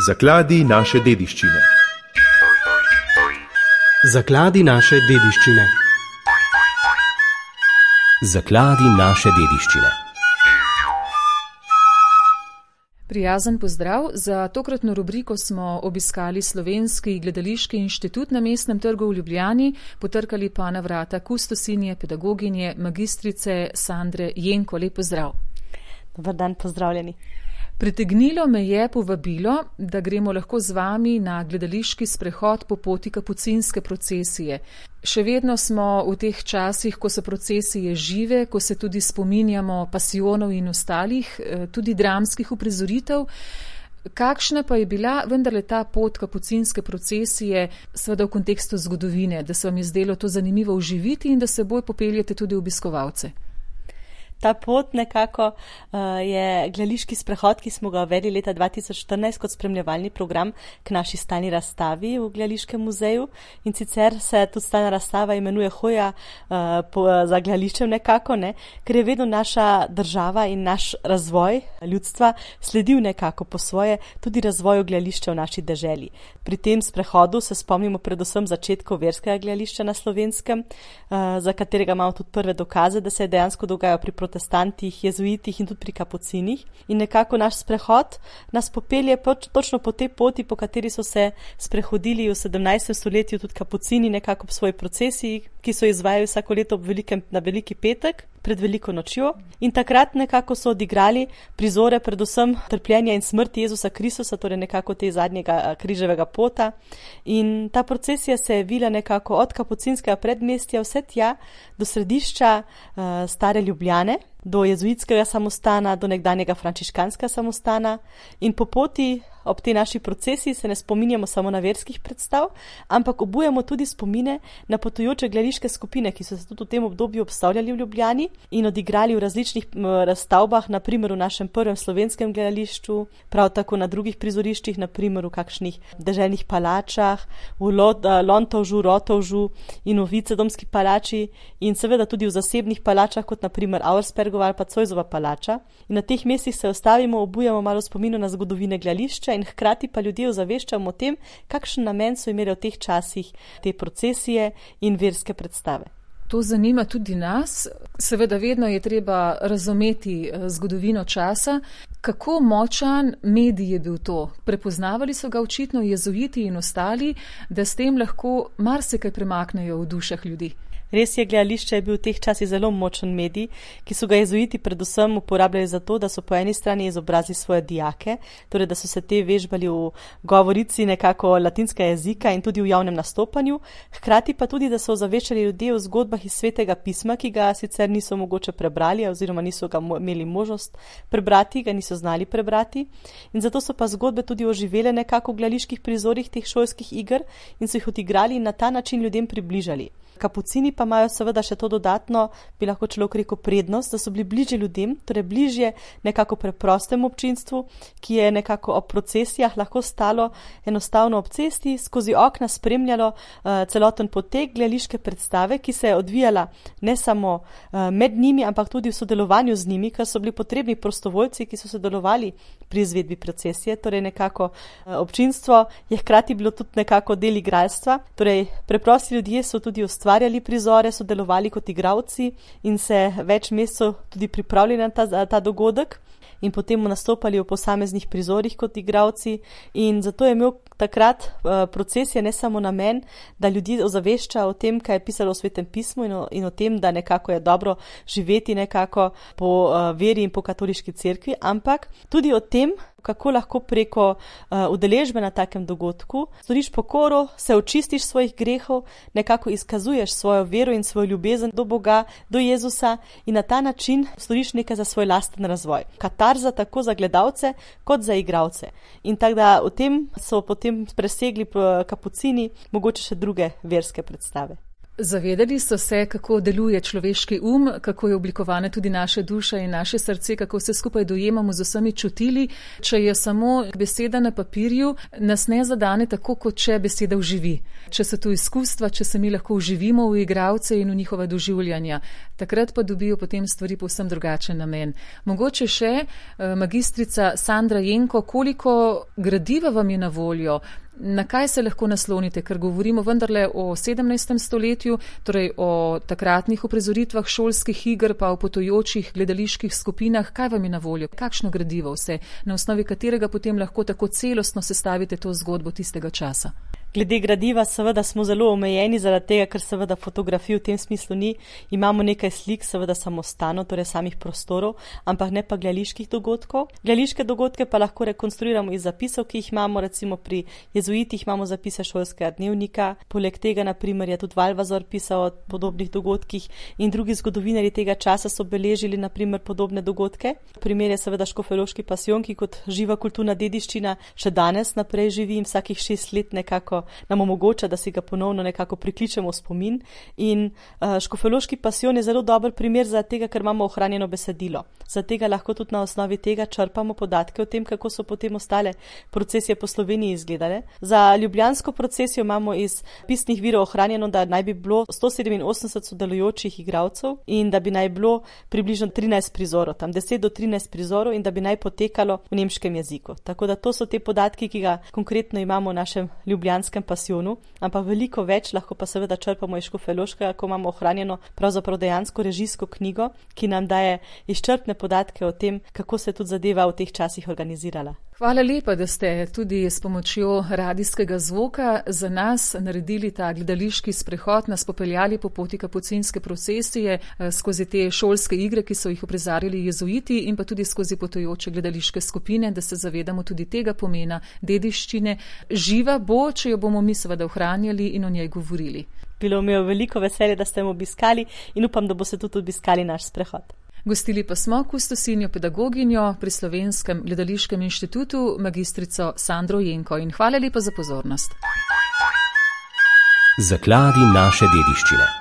Zakladi naše dediščine. Zakladi naše dediščine. Zakladi naše dediščine. Prijazen pozdrav. Za tokratno rubriko smo obiskali Slovenski gledališki inštitut na Mestnem trgu v Ljubljani, potrkali pa na vrata kustosinje, pedagoginje, magistrice Sandre Jenko. Lep pozdrav. Dobar dan, pozdravljeni. Pritegnilo me je povabilo, da gremo lahko z vami na gledališki sprehod po poti kapucinske procesije. Še vedno smo v teh časih, ko so procesije žive, ko se tudi spominjamo pasijonov in ostalih, tudi dramskih uprizoritev. Kakšna pa je bila vendarle ta pot kapucinske procesije, seveda v kontekstu zgodovine, da se vam je zdelo to zanimivo uživiti in da seboj popeljete tudi obiskovalce? Ta pot nekako je gledališki sprehod, ki smo ga uvedli leta 2014 kot spremljevalni program k naši stalni razstavi v Gledališkem muzeju. In sicer se tudi stalna razstava imenuje Hoja za gledališčem nekako, ker je vedno naša država in naš razvoj ljudstva sledil nekako po svoje tudi razvoju gledališča v naši deželi. Pri tem sprehodu se spomnimo predvsem začetkov verskega gledališča na Slovenskem, za katerega imamo tudi prve dokaze, da se je dejansko dogajal pri protestantih, jezuitih in tudi pri kapucinih. In nekako naš sprehod nas popelje točno po tej poti, po kateri so se sprehodili v 17. stoletju tudi kapucini nekako po svoji procesiji, ki so izvajali vsako leto na Veliki petek, pred Veliko nočjo. In takrat nekako so odigrali prizore predvsem trpljenja in smrti Jezusa Kristusa, torej nekako te zadnjega križevega pota. In ta procesija se je vila nekako od kapucinskega predmestja vse tja do središča stare Ljubljane, do jezuitskega samostana, do nekdanjega frančiškanskega samostana. In po poti ob tej naši procesiji se ne spominjamo samo na verskih predstav, ampak obujamo tudi spomine na potujoče gledališke skupine, ki so se tudi v tem obdobju obstavljali v Ljubljani in odigrali v različnih razstavbah, na primer v našem prvem slovenskem gledališču, prav tako na drugih prizoriščih, na primer v kakšnih deželnih palačah, v Lontovžu, Rotovžu in v Vicedomski palači in seveda tudi v zasebnih palačah, kot na primer Auerspergova ali pa Zoisova palača. In na teh mestih se ostavimo, obujamo malo spominu na zgodovine gledališča in hkrati pa ljudje ozaveščamo o tem, kakšen namen so imeli v teh časih te procesije in verske predstave. To zanima tudi nas. Seveda vedno je treba razumeti zgodovino časa. Kako močan medij je bil to? Prepoznavali so ga očitno jezuiti in ostali, da s tem lahko marsikaj premaknejo v dušah ljudi. Res je, gledališče je bil v teh časih zelo močen medij, ki so ga jezuiti predvsem uporabljali za to, da so po eni strani izobrazili svoje dijake, torej da so se te vežbali v govorici nekako latinskega jezika in tudi v javnem nastopanju, hkrati pa tudi, da so ozaveščali ljudi o zgodbah iz Svetega pisma, ki ga sicer niso mogoče prebrali oziroma niso ga imeli možnost prebrati, ga niso znali prebrati. In zato so pa zgodbe tudi oživele nekako v gledaliških prizorih teh šolskih iger in so jih odigrali in na ta način ljudem približali. Kapucini pa imajo seveda še to dodatno, bi lahko človek rekel, prednost, da so bili bližje ljudem, torej bližje nekako preprostemu občinstvu, ki je nekako ob procesijah lahko stalo enostavno ob cesti, skozi okna spremljalo celoten potek gledališke predstave, ki se je odvijala ne samo med njimi, ampak tudi v sodelovanju z njimi, ker so bili potrebni prostovoljci, ki so sodelovali pri izvedbi procesije, torej nekako občinstvo je hkrati bilo tudi nekako del igralstva, torej preprosti ljudje so tudi ustvarjali prizore, sodelovali kot igralci in se več mesecev tudi pripravljali na ta dogodek in potem nastopali v posameznih prizorih kot igralci. In zato je imel takrat procesija ne samo namen, da ljudi ozavešča o tem, kaj je pisalo v Svetem pismu in o tem, da nekako je dobro živeti nekako po veri in po katoliški cerkvi, ampak tudi o tem, kako lahko preko udeležbe na takem dogodku storiš pokoro, se očistiš svojih grehov, nekako izkazuješ svojo vero in svojo ljubezen do Boga, do Jezusa in na ta način storiš nekaj za svoj lasten razvoj. Katarza tako za gledalce kot za igralce. In tako da v tem so potem presegli kapucini mogoče še druge verske predstave. Zavedali so se, kako deluje človeški kako je oblikovana tudi naša duša in naše srce, kako vse skupaj dojemamo z vsemi čutili. Če je samo beseda na papirju, nas ne zadane tako, kot če beseda vživi. Če so tu izkustva, če se mi lahko vživimo v igralce in v njihova doživljanja, takrat pa dobijo potem stvari povsem drugačen namen. Mogoče še, magistrica Sandra Jenko, koliko gradiva vam je na voljo? Na kaj se lahko naslonite, ker govorimo vendarle o 17. stoletju, torej o takratnih uprizoritvah šolskih iger, pa o potujočih gledaliških skupinah. Kaj vam je na voljo? Kakšno gradivo vse, na osnovi katerega potem lahko tako celostno sestavite to zgodbo tistega časa? Glede gradiva seveda smo zelo omejeni zaradi tega, ker seveda fotografij v tem smislu ni. Imamo nekaj slik, seveda samostano, torej samih prostorov, ampak ne pa gledaliških dogodkov. Gledališke dogodke pa lahko rekonstruiramo iz zapisov, ki jih imamo, recimo pri jezuitih imamo zapise šolskega dnevnika. Poleg tega, na primer, je tudi Valvazor pisal o podobnih dogodkih in drugi zgodovinarji tega časa so beležili, na primer, podobne dogodke. Primer je seveda Škofjeloški pasijon, ki kot živa kulturna dediščina še danes naprej živi in vsakih 6 let nekako nam omogoča, da si ga ponovno nekako prikličemo v spomin. In Škofjeloški pasijon je zelo dober primer za tega, ker imamo ohranjeno besedilo. Za tega lahko tudi na osnovi tega črpamo podatke o tem, kako so potem ostale procesije po Sloveniji izgledale. Za ljubljansko procesijo imamo iz pisnih virov ohranjeno, da naj bi bilo 187 sodelujočih igralcev in da bi naj bilo približno 13 prizorov, tam 10 do 13 prizorov in da bi naj potekalo v nemškem jeziku. Tako da to so te podatki, ki ga konkretno imamo v našem ljubljanskem pasijonu, ampak veliko več lahko pa seveda črpamo iz Škofjeloškega, ko imamo ohranjeno pravzaprav dejansko režijsko knjigo, ki nam daje izčrpne podatke o tem, kako se tudi zadeva v teh časih organizirala. Hvala lepa, da ste tudi s pomočjo radijskega zvoka za nas naredili ta gledališki sprehod, nas popeljali po poti kapucinske procesije skozi te šolske igre, ki so jih uprizarjali jezuiti in pa tudi skozi potujoče gledališke skupine, da se zavedamo tudi tega pomena dediščine. Živa bo, če jo bomo mi seveda ohranjali in o njej govorili. Bilo mi je veliko veselje, da ste me obiskali in upam, da boste tudi obiskali naš sprehod. Gostili pa smo kustosinjo pedagoginjo pri Slovenskem gledališkem inštitutu, magistrico Sandro Jenko, in hvala lepa za pozornost. Zakladi naše dediščine.